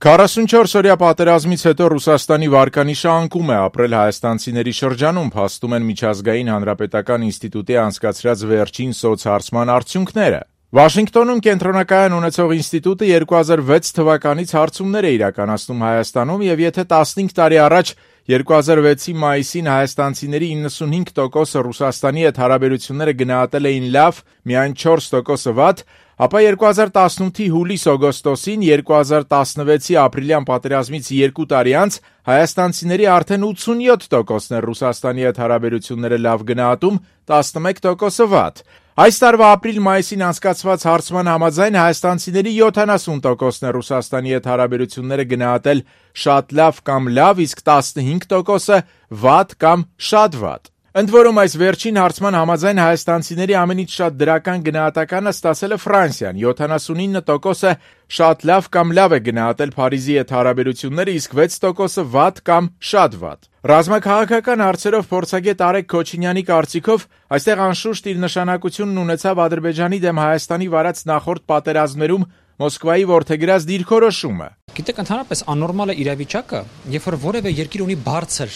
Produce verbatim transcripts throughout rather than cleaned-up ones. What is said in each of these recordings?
քառասունչորս-օրյա պատերազմից հետո Ռուսաստանի վարկանիշը անկում է ապրել հայաստանցիների շրջանում, փաստում են Միջազգային հանրապետական ինստիտուտի անցկացրած վերջին սոցհարցման արդյունքները։ Վաշինգտոնում կենտրոնակայան ունեցող ինստիտուտը երկու հազար վեց թվականից հարցումներ է իրականացնում Հայաստանում եւ եթե տասնհինգ տարի առաջ երկու հազար վեցի մայիսին հայաստանցիների իննսունհինգ տոկոսը Ռուսաստանի հետ հարաբերությունները գնահատել էին լավ, միայն չորս տոկոսը վատ, ապա երկու հազար տասնութի հուլիս-օգոստոսին, երկու հազար տասնվեցի ապրիլյան պատերազմից երկու տարի անց հայաստանցիների արդեն ութսունյոթ տոկոսն էր Ռուսաստանի հետ հարաբերությունները լավ գնահատում, տասնմեկ տոկոսը վատ։ Այս տարվա ապրիլ-մայիսին անցկացված հարցման համաձայն հայաստանցիների յոթանասուն տոկոսն է Ռուսաստանի հետ հարաբերությունները գնահատել շատ լավ կամ լավ, իսկ տասնհինգ տոկոսը վատ կամ շատ վատ։ Ընդ որում այս վերջին հարցման համաձայն հայաստանցիների ամենից շատ դրական գնահատականը ստացել է Ֆրանսիան, յոթանասունինը տոկոսը շատ լավ կամ լավ է գնահատել Փարիզի հետ հարաբերությունները, իսկ վեց տոկոսը վատ կամ շատ վատ։ Ռազմաքաղաքական հարցերով փորձագետ Արեգ Քոչինյանի կարծիքով այստեղ անշուշտ իր նշանակությունն ունեցավ Ադրբեջանի դեմ Հայաստանի վարած նախորդ պատերազմներում Մոսկվայի որդեգրած դիրքորոշումը։ Գիտեք, ընդհանրապես աննորմալ է իրավիճակը, երբ որ որևէ երկիր ունի բարձր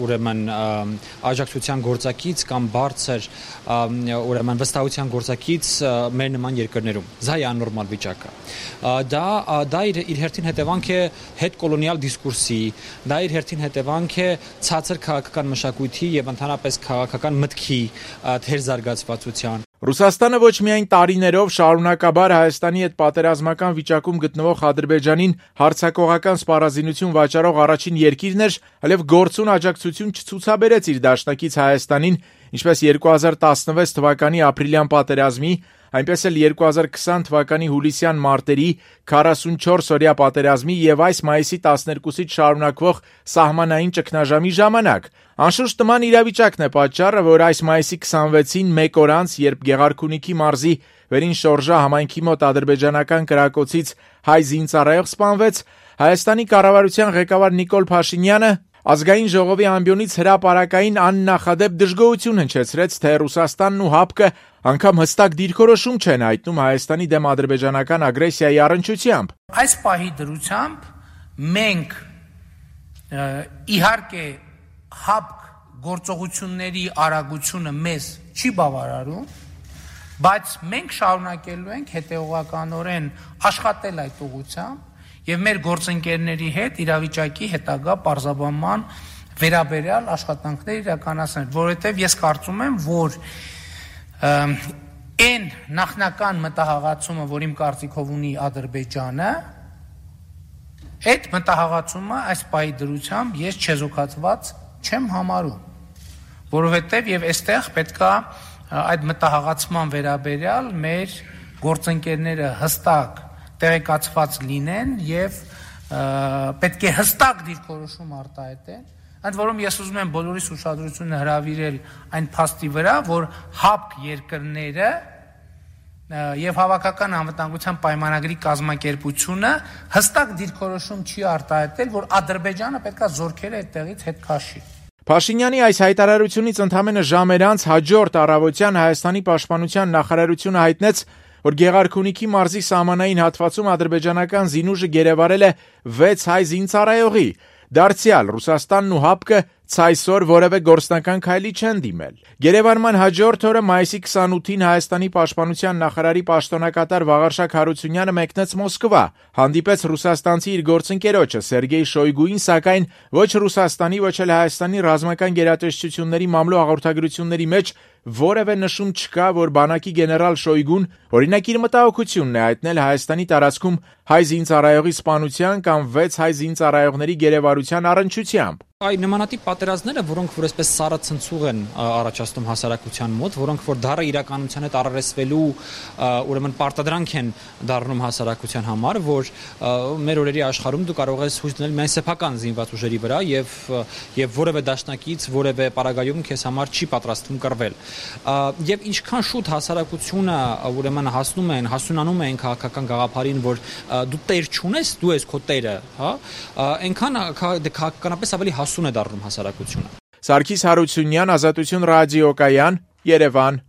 ուրեմն աջակցության գործակից կամ բարձր ուրեմն վստահության գործակից մեր նման երկրներում։ Դա է աննորմալ վիճակը։ Դա դա իր, իր հերթին հետևանք է հետկոլոնիալ դիսկուրսի, դա իր հերթին հետևանք է ցածր քաղաքական մշակույթի եւ ընդհանրապես քաղաքական մտքի թերզարգացվածության։ Ռուսաստանը ոչ միայն տարիներով շարունակաբար Հայաստանի հետ պատերազմական վիճակում գտնվող Ադրբեջանին հարձակողական սպառազինություն վաճառող առաջին երկիրն էր, այլև գործուն աջակցություն չցուցաբերեց իր դաշնակից Հայաստանին, ինչպես երկու հազար տասնվեց թվականի ապրիլյան պատերազմի, այնպես էլ երկու հազար քսան թվականի հուլիսյան մարտերի քառասունչորս-օրյա պատերազմի եւ այս մայիսի տասներկուսից շարունակվող սահմանային ճգնաժամի ժամանակ։ Անշուշտ նման իրավիճակն է պատճառը, որ այս մայիսի քսանվեցին մեկ օր անց, երբ Գեղարքունիքի մարզի Վերին Շորժա համայնքի մոտ ադրբեջանական կրակոցից հայ զինծառայող սպանվեց, Հայաստանի կառավարության ղեկավար Նիկոլ Փաշինյանը Ազգային ժողովի ամբիոնից հրապարակային աննախադեպ դժգոհություն հնչեցրեց, թե Ռուսաստանն ու ՀԱՊԿ-ը անգամ հստակ դիրքորոշում չեն հայտնում Հայաստանի դեմ ադրբեջանական ագրեսիայի առնչությամբ։ Այս պահի դրությամբ մենք իհարկե ՀԱՊԿ գործողությունների արագությունը մեզ չի բավարարում, բայց մենք շարունակելու ենք հետևողականորեն աշխատել այդ ուղղությամբ եւ մեր գործընկերների հետ իրավիճակի հետագա պարզաբանման վերաբերյալ աշխատանքներ իրականացնել, որովհետեւ ես կարծում եմ, որ այն նախնական մտահղացումը, որ իմ կարծիքով ունի Ադրբեջանը, այդ մտահղացումը այս պահի դրությամբ ես չեզոքացված չեմ համարում, որովհետեւ եւ այստեղ պետքա այդ մտահղացման վերաբերյալ մեր գործընկերները հստակ տեղեկացված լինեն եւ պետք է հստակ դիրքորոշում արտահայտեն, ընդ որում ես ուզում եմ բոլորիս ուշադրությունը հրավիրել այն փաստի վրա, որ ՀԱՊԿ երկրները եւ Հավաքական անվտանգության պայմանագրի կազմակերպությունը հստակ դիրքորոշում չի արտահայտել, որ Ադրբեջանը պետքա զորքերը այդտեղից հետ քաշի։ Փաշինյանի այս հայտարարությունից ընդամենը ժամեր անց հաջորդ առավոտյան Հայաստանի պաշտպանության նախարարությունը հայտնեց, որ Գեղարքունիքի մարզի սահմանային հատվածում ադրբեջանական զինուժը գերեվարել է վեց հայ զինծառայողի։ Դարձյալ Ռուսաստանն ու ՀԱՊԿ-ը ցայսօր որևէ գործնական քայլի չեն դիմել։ Գերեվարման հաջորդ օրը մայիսի քսանութին Հայաստանի պաշտպանության նախարարի պաշտոնակատար Վաղարշակ Հարությունյանը մեկնեց Մոսկվա, հանդիպեց ռուսաստանցի իր գործընկերոջը Սերգեյ Շոյգուին, սակայն ոչ Ռուսաստանի, ոչ էլ Հայաստանի ռազմական գերատեսչությունների մամլո հաղորդագրությունների մեջ որևէ նշում չկա, որ բանակի գեներալ Շոյգուն օրինակ իր մտահոգությունն է հայտնել Հայաստանի տարածքում հայ զինծառայողի սպանության կամ վեց հայ զինծառայողների գերեվարության առնչությամբ։ Այ նմանատիպ պատերազմները, որոնք որ այսպես սառը ցնցուղ են առաջացնում հասարակության մոտ, որոնք որ դառը իրականության հետ առերեսվելու ուրեմն պարտադրանք են դառնում հասարակության համար, որ մեր օրերի աշխարհում դու կարող ես հույս դնել միայն սեփական զինված ուժերի վրա եւ եւ որևէ դաշնակից, որևէ պարագայում քեզ համար չի պատրաստվում կռվել։ Եվ ինչքան շուտ հասարակությունը ուրեմն հասնում են, հասունանում են քաղաքական գաղափարին, որ դու տեր չունես, դու ես քո տերը, հա, այնքան քաղաքականապես ավելի հասուն է դառնում հասարակությունը։ Սարգիս Հարությունյան, Ազատություն ռադիոկայան, Երևան։